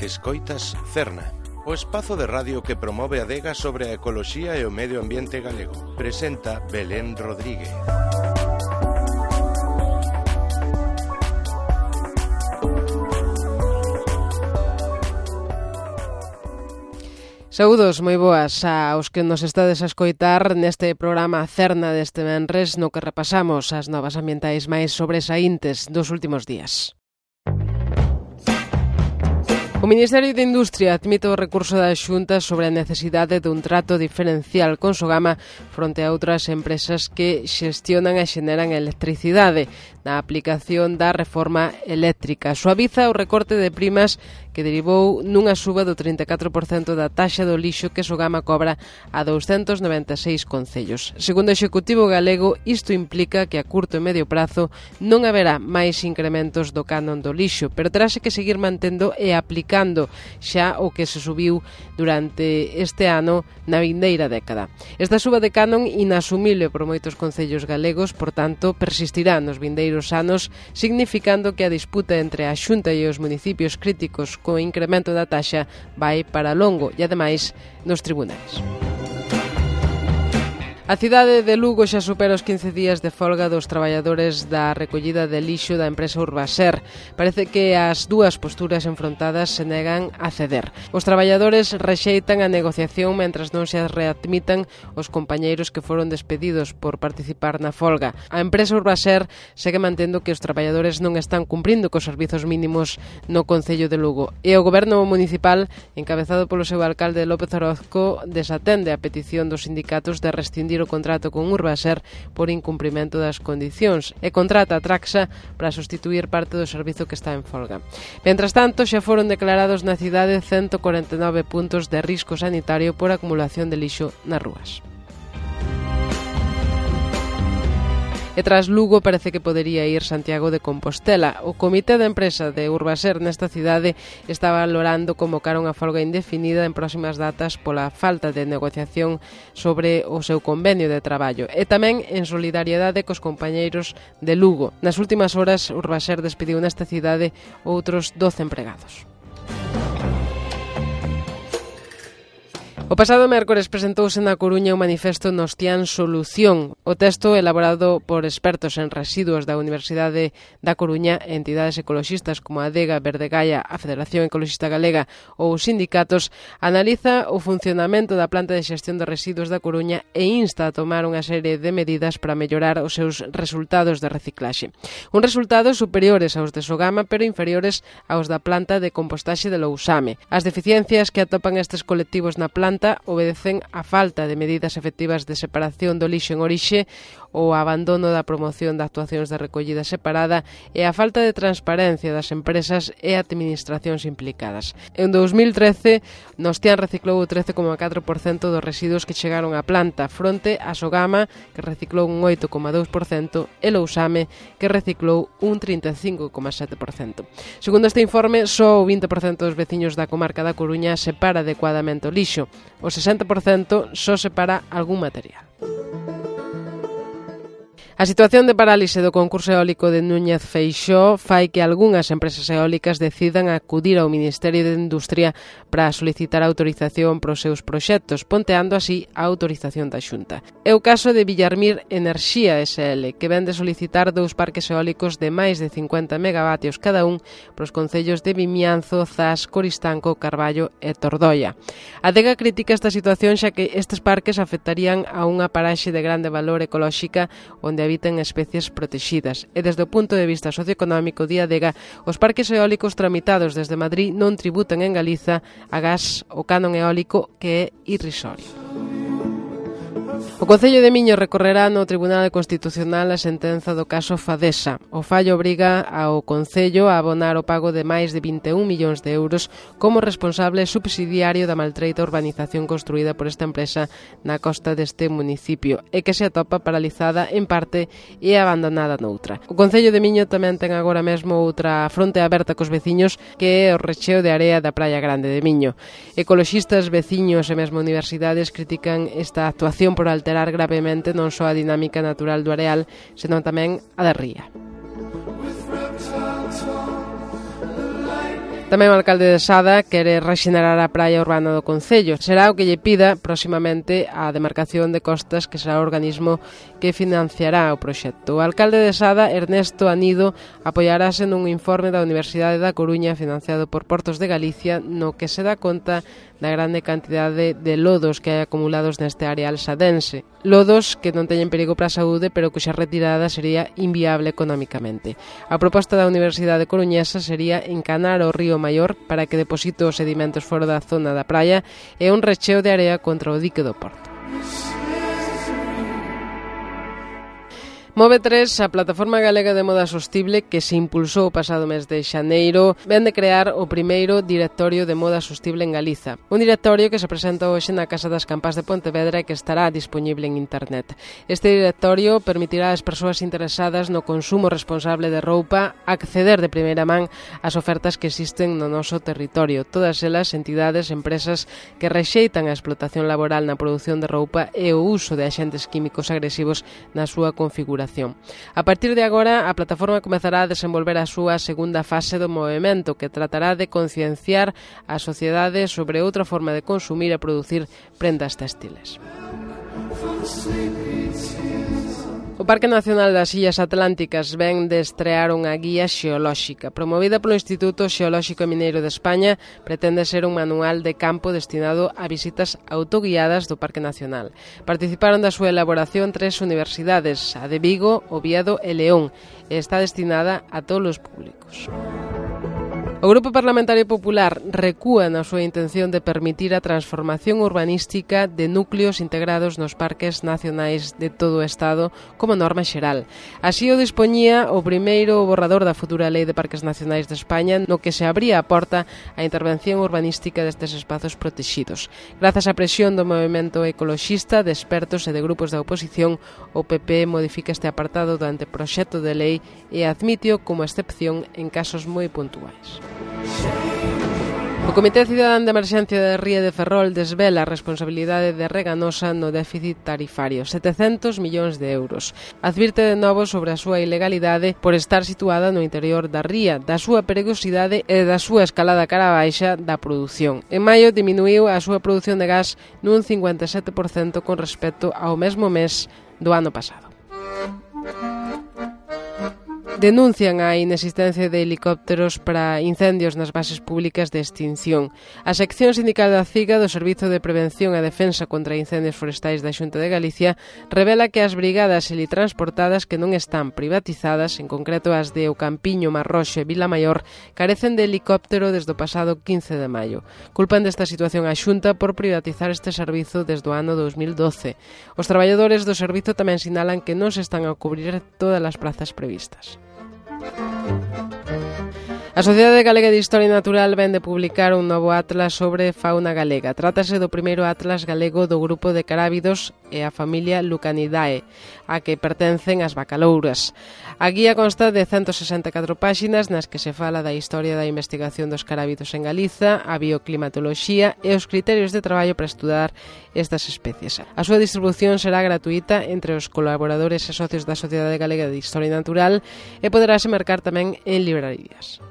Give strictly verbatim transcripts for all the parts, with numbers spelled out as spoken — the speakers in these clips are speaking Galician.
Escoitas Cerna, o espazo de radio que promove a adega sobre a ecoloxía e o medio ambiente galego. Presenta Belén Rodríguez. Saúdos moi boas aos que nos estades a escoitar neste programa Cerna deste venres no que repasamos as novas ambientais máis sobresaíntes dos últimos días. O Ministerio de Industria admite o recurso da Xunta sobre a necesidade dun trato diferencial con Sogama fronte a outras empresas que xestionan e xeneran electricidade na aplicación da reforma eléctrica. Suaviza o recorte de primas que derivou nunha suba do trinta e catro por cento da taxa do lixo que Sogama cobra a douscentos noventa e seis concellos. Segundo o Executivo galego, isto implica que a curto e medio prazo non haberá máis incrementos do canon do lixo, pero terase que seguir mantendo e aplicando xa o que se subiu durante este ano na vindeira década. Esta suba de canon inasumible por moitos concellos galegos, por tanto, persistirá nos vindeiros anos, significando que a disputa entre a Xunta e os municipios críticos co incremento da taxa vai para longo e, ademais, nos tribunais. A cidade de Lugo xa supera os quince días de folga dos traballadores da recollida de lixo da empresa Urbaser. Parece que as dúas posturas enfrontadas se negan a ceder. Os traballadores rexeitan a negociación mentras non se readmitan os compañeiros que foron despedidos por participar na folga. A empresa Urbaser segue mantendo que os traballadores non están cumprindo cos servizos mínimos no Concello de Lugo. E o Goberno municipal, encabezado polo seu alcalde López Orozco, desatende a petición dos sindicatos de rescindir o contrato con Urbaser por incumprimento das condicións e contrata a Traxa para sustituir parte do servizo que está en folga. Mentras tanto, xa foron declarados na cidade ciento corenta e nove puntos de risco sanitario por acumulación de lixo nas rúas. E tras Lugo parece que podería ir Santiago de Compostela. O comité de empresa de Urbaser nesta cidade está valorando convocar unha folga indefinida en próximas datas pola falta de negociación sobre o seu convenio de traballo e tamén en solidariedade cos compañeiros de Lugo. Nas últimas horas, Urbaser despediu nesta cidade outros doce empregados. O pasado mércores presentouse na Coruña o manifesto Nostián Solución. O texto, elaborado por expertos en residuos da Universidade da Coruña, entidades ecoloxistas como a Adega, Verdegaia, a Federación Ecoloxista Galega ou os sindicatos, analiza o funcionamento da planta de xestión de residuos da Coruña e insta a tomar unha serie de medidas para mellorar os seus resultados de reciclaxe. Un resultados superiores aos de Sogama, pero inferiores aos da planta de compostaxe de Lousame. As deficiencias que atopan estes colectivos na planta obedecen a falta de medidas efectivas de separación do lixo en orixe, o abandono da promoción de actuacións de recollida separada e a falta de transparencia das empresas e administracións implicadas. En dous mil trece, Nostián reciclou o trece coma catro por cento dos residuos que chegaron á planta, fronte a Sogama, que reciclou un oito coma dous por cento, e Lousame, que reciclou un trinta e cinco coma sete por cento. Segundo este informe, só o vinte por cento dos veciños da comarca da Coruña separa adecuadamente o lixo. O sesenta por cento só separa algún material. A situación de parálise do concurso eólico de Núñez Feixóo fai que algunhas empresas eólicas decidan acudir ao Ministerio de Industria para solicitar autorización para os seus proxectos, ponteando así a autorización da Xunta. É o caso de Villarmir Enerxía S L, que vén de solicitar dous parques eólicos de máis de cincuenta megavatios cada un para os concellos de Vimianzo, Zas, Coristanco, Carballo e Tordoia. A Adega critica esta situación xa que estes parques afectarían a unha paraxe de grande valor ecolóxica onde habiten especies protegidas e desde o punto de vista socioeconómico de Adega, os parques eólicos tramitados desde Madrid non tributan en Galiza a gas o canon eólico que é irrisorio. O Concello de Miño recorrerá no Tribunal Constitucional a sentenza do caso Fadesa. O fallo obriga ao Concello a abonar o pago de máis de vinte e un millóns de euros como responsable subsidiario da maltreita urbanización construída por esta empresa na costa deste municipio e que se atopa paralizada en parte e abandonada noutra. O Concello de Miño tamén ten agora mesmo outra fronte aberta cos veciños, que é o recheo de area da Praia Grande de Miño. Ecoloxistas, veciños e mesmo universidades critican esta actuación por alterar gravemente non só a dinámica natural do areal, senón tamén a da ría. Tamén o alcalde de Sada quere rexenerar a praia urbana do concello. Será o que lle pida próximamente a demarcación de costas, que será o organismo que financiará o proxecto. O alcalde de Sada, Ernesto Anido, apoiarase nun informe da Universidade da Coruña financiado por Portos de Galicia, no que se dá conta da grande cantidade de lodos que hai acumulados neste areal sadense. Lodos que non teñen perigo para a saúde, pero cuxa retirada sería inviable económicamente. A proposta da Universidade Coruñesa sería encanar o río Maior para que deposite os sedimentos fora da zona da praia e un recheo de area contra o dique do Porto. Move tres, a plataforma galega de moda sostible que se impulsou o pasado mes de xaneiro, ven de crear o primeiro directorio de moda sostible en Galiza. Un directorio que se presenta hoxe na Casa das Campás de Pontevedra e que estará disponible en internet. Este directorio permitirá ás persoas interesadas no consumo responsable de roupa acceder de primeira man ás ofertas que existen no noso territorio. Todas elas entidades, empresas que rexeitan a explotación laboral na produción de roupa e o uso de axentes químicos agresivos na súa configuración. A partir de agora, a plataforma comezará a desenvolver a súa segunda fase do movemento, que tratará de concienciar a sociedade sobre outra forma de consumir e producir prendas textiles. O Parque Nacional das Illas Atlánticas ven de estrear unha guía xeolóxica. Promovida polo Instituto Xeolóxico e Mineiro de España, pretende ser un manual de campo destinado a visitas autoguiadas do Parque Nacional. Participaron da súa elaboración tres universidades, a de Vigo, Oviedo e León, e está destinada a todos os públicos. O Grupo Parlamentario Popular recúa na súa intención de permitir a transformación urbanística de núcleos integrados nos parques nacionais de todo o Estado como norma xeral. Así o dispoñía o primeiro borrador da futura Lei de Parques Nacionais de España, no que se abría a porta á intervención urbanística destes espazos protexidos. Grazas á presión do movemento ecoloxista, de expertos e de grupos da oposición, o P P modifica este apartado do anteproxecto de lei e admitio como excepción en casos moi puntuais. O Comité Cidadán de Emerxencia de Ría de Ferrol desvela a responsabilidade de Reganosa no déficit tarifario, setecentos millóns de euros. Advirte de novo sobre a súa ilegalidade por estar situada no interior da ría, da súa perigosidade e da súa escalada cara baixa da produción. En maio diminuiu a súa produción de gas nun cincuenta e sete por cento con respecto ao mesmo mes do ano pasado. Denuncian a inexistencia de helicópteros para incendios nas bases públicas de extinción. A sección sindical da CIGA do Servizo de Prevención e Defensa contra Incendios Forestais da Xunta de Galicia revela que as brigadas helitransportadas que non están privatizadas, en concreto as de O Campiño, Marroxo e Vilamaior, carecen de helicóptero desde o pasado quince de maio. Culpan desta situación a Xunta por privatizar este servizo desde o ano dos mil doce. Os traballadores do servizo tamén sinalan que non se están a cubrir todas as plazas previstas. A Sociedade Galega de Historia Natural ven de publicar un novo atlas sobre fauna galega. Trátase do primeiro atlas galego do grupo de carábidos e a familia Lucanidae, a que pertencen as bacalouras. A guía consta de ciento sesenta e catro páxinas nas que se fala da historia da investigación dos carábidos en Galiza, a bioclimatoloxía e os criterios de traballo para estudar estas especies. A súa distribución será gratuita entre os colaboradores e socios da Sociedade Galega de Historia Natural e poderase mercar tamén en librarías.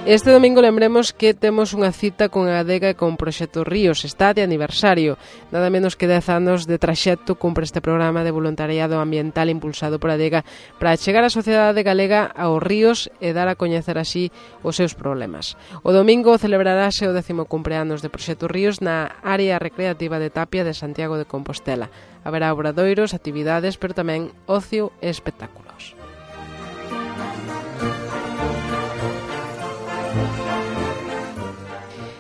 Este domingo lembremos que temos unha cita con a Adega e con Proxecto Ríos. Está de aniversario. Nada menos que dez anos de traxecto cumpre este programa de voluntariado ambiental impulsado por a Adega para chegar a sociedade galega aos ríos e dar a coñecer así os seus problemas. O domingo celebrarase o décimo cumpleanos de Proxecto Ríos na área recreativa de Tapia de Santiago de Compostela. Haberá obradoiros, actividades, pero tamén ocio e espectáculos.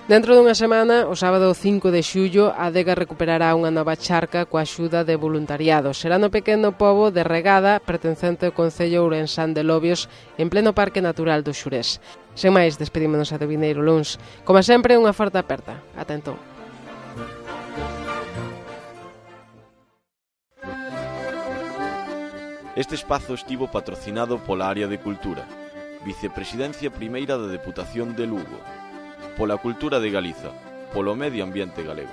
Dentro dunha semana, o sábado cinco de xullo, a Adega recuperará unha nova charca coa axuda de voluntariado. Será no pequeno pobo de Regada, pertencente ao concello ourensán de Lobios, en pleno Parque Natural do Xurés. Sen máis, despedímonos a do vindeiro luns. Como sempre, unha forte aperta. Ata entón. Este espazo estivo patrocinado pola Área de Cultura, Vicepresidencia Primeira da Deputación de Lugo, pola Cultura de Galiza, polo Medio Ambiente Galego.